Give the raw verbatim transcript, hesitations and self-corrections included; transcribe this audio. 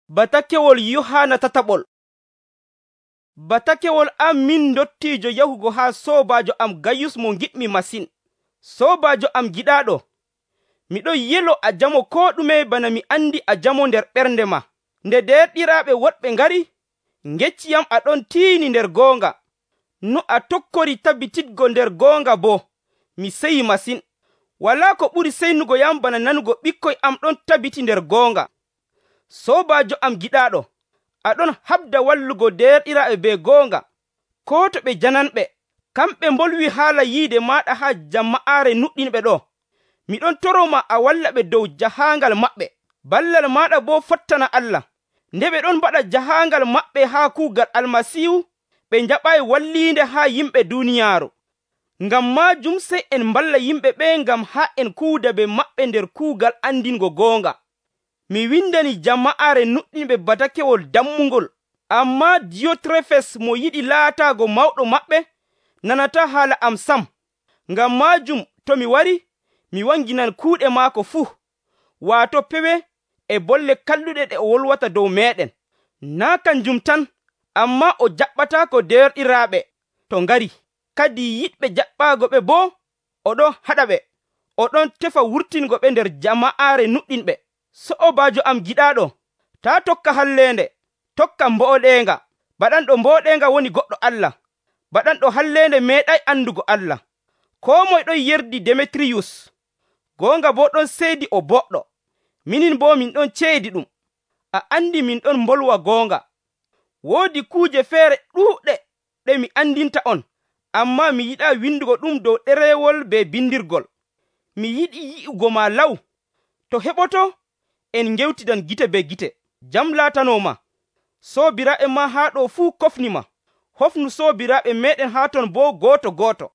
Batakewol Yohaana tataɓol. Batakewol am min ndottiijo yahugo haa soobaajo am Gayus mo ngiɗmi masin. Soobaajo am giɗaaɗo, miɗon yelo a jamo koo ɗume bana mi andi a jamo nder ɓernde ma. Nde derɗiraaɓe woɗɓe ngari, ngecciyam aɗon tiini nder goonga. No a tokkori tabbititgo nder goonga boo, mi seyi masin. Walaa ko ɓuri seynugo yam bana nanugo ɓikkoy am ɗon tabbiti nder goonga. Soobaajo am giɗaaɗo, aɗon haɓda wallugo derɗiraaɓe be goonga, koo to ɓe jananɓe. Kamɓe mbolwi haala yiide maaɗa haa jama'aare nuɗɗinɓe ɗo. Miɗon toroma a walla ɓe dow jahaangal maɓɓe. Ballal maaɗa boo fottana Allah. Nde ɓe ɗon mbaɗa jahaangal maɓɓe haa kuugal Almasiihu, ɓe njaɓaayi walliinde haa yimɓe duuniyaaru. Ngam maajum sey en mballa yimɓe ɓen ngam haa en kuudabe maɓɓe nder kuugal andingo goonga. Mi windani jama'aare nuɗɗinɓe batakewol dammungol, ammaa Diyotrefes mo yiɗi laataago mawɗo maɓɓe nanataa haala am sam. Ngam maajum to mi wari, mi wanginan kuuɗe maako fuu, waato pewe e bolle kalluɗe ɗe o wolwata dow meeɗen. Naa' kanjum tan, ammaa o jaɓɓataako derɗiraaɓe to ngari. Kadi yiɗɓe jaɓɓaago ɓe boo oɗon haɗaɓe, oɗon tefa wurtingo ɓe nder jama'aare nuɗɗinɓe. So'obaajo am giɗaaɗo, taa tokka halleende, tokka mboɗeenga. Baɗanɗo mboɗeenga woni goɗɗo Allah. Baɗanɗo halleende meeɗay andugo Allah. Koo moye ɗon yerdi Demetiriyus, goonga boo ɗon seedi o boɗɗo. Minin boo min ɗon ceedi ɗum. A andi min ɗon mbolwa goonga. Woodi kuuje feere ɗuuɗɗe ɗe mi andinta on, ammaa mi yiɗaa windugo ɗum dow ɗerewol be bindirgol. Mi yiɗi yi'ugo ma law. To heɓoto, en ngewtidan gite be gite. Jam laatanoma. Soobiraaɓe maa haa ɗo fuu kofnima. Hofnu soobiraaɓe meeɗen haa ton boo gooto gooto.